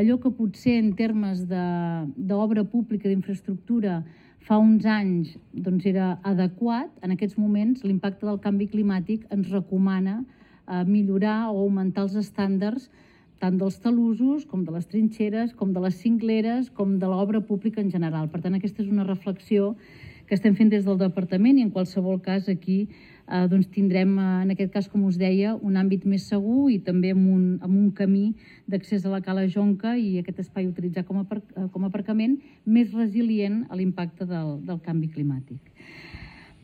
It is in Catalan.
Allò que potser en termes d'obra pública, d'infraestructura, fa uns anys era adequat, en aquests moments l'impacte del canvi climàtic ens recomana millorar o augmentar els estàndards tant dels talussos, com de les trinxeres, com de les cingleres, com de l'obra pública en general. Per tant, aquesta és una reflexió que estem fent des del departament i en qualsevol cas aquí tindrem, en aquest cas, com us deia, un àmbit més segur i també amb un camí d'accés a la Cala Jonca i aquest espai utilitzat com a aparcament més resilient a l'impacte del canvi climàtic.